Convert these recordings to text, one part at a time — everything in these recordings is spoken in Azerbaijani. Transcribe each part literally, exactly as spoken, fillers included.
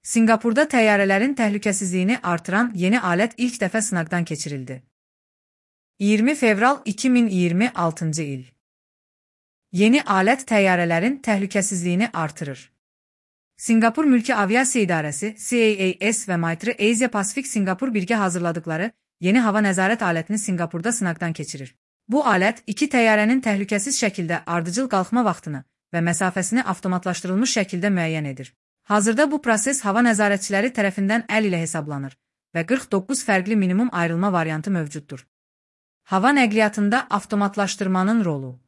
Sinqapurda təyyarələrin təhlükəsizliyini artıran yeni alət ilk dəfə sınaqdan keçirildi. iyirmi fevral iki min iyirmi altıncı il. Yeni alət təyyarələrin təhlükəsizliyini artırır. Sinqapur Mülki Aviasiya İdarəsi C A A S və Maitre Asia Pacific Sinqapur birgə hazırladıkları yeni hava nəzarət alətini Sinqapurda sınaqdan keçirir. Bu alət iki təyyarənin təhlükəsiz şəkildə ardıcıl qalxma vaxtını və məsafəsini avtomatlaşdırılmış şəkildə müəyyən edir. Hazırda bu proses hava nəzarətçiləri tərəfindən əl ilə hesablanır və qırx doqquz fərqli minimum ayrılma variantı mövcuddur. Hava nəqliyyatında avtomatlaşdırmanın rolu.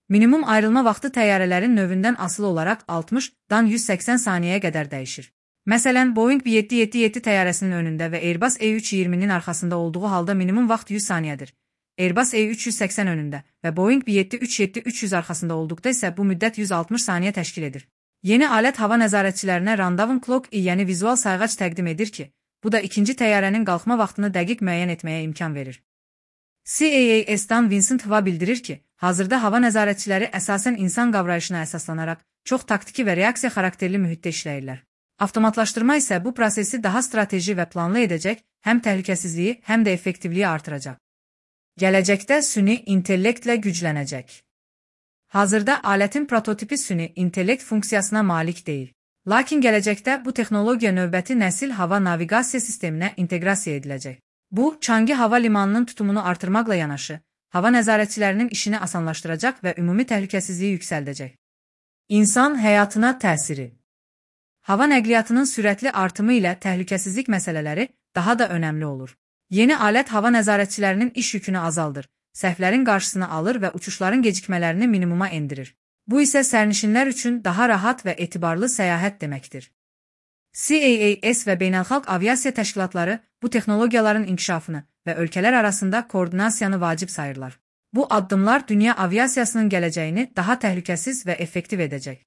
Minimum ayrılma vaxtı təyyarələrin növündən asılı olaraq altmışdan yüz səksən saniyəyə qədər dəyişir. Məsələn, Boeing yeddi yeddi yeddi təyyarəsinin önündə və Airbus E üç iyirminin arxasında olduğu halda minimum vaxt yüz saniyədir. Airbus E üç yüz səksən önündə və Boeing yeddi üç yeddi üç yüz arxasında olduqda isə bu müddət yüz altmış saniyə təşkil edir. Yeni alət hava nəzarətçilərinə randevum clock, yəni vizual sayğac təqdim edir ki, bu da ikinci təyyarənin qalxma vaxtını dəqiq müəyyən etməyə imkan verir. C A A S-dan Vincent Hva bildirir ki, hazırda hava nəzarətçiləri əsasən insan qavrayışına əsaslanaraq çox taktiki və reaksiya xarakterli mühitdə işləyirlər. Avtomatlaşdırma isə bu prosesi daha strateji və planlı edəcək, həm təhlükəsizliyi, həm də effektivliyi artıracaq. Gələcəkdə süni intellektlə güclənəcək. Hazırda alətin prototipi süni intellekt funksiyasına malik deyil. Lakin gələcəkdə bu texnologiya növbəti nəsil hava naviqasiya sisteminə inteqrasiya ediləcək. Bu, Changi hava limanının tutumunu artırmaqla yanaşı, hava nəzarətçilərinin işini asanlaşdıracaq və ümumi təhlükəsizliyi yüksəldəcək. İnsan həyatına təsiri. Hava nəqliyyatının sürətli artımı ilə təhlükəsizlik məsələləri daha da önəmli olur. Yeni alət hava nəzarətçilərinin iş yükünü azaldır, səhvlərin qarşısını alır və uçuşların gecikmələrini minimuma endirir. Bu isə sərnişinlər üçün daha rahat və etibarlı səyahət deməkdir. C A A S və beynəlxalq aviasiya təşkilatları bu texnologiyaların inkişafını və ölkələr arasında koordinasiyanı vacib sayırlar. Bu addımlar dünya aviasiyasının gələcəyini daha təhlükəsiz və effektiv edəcək.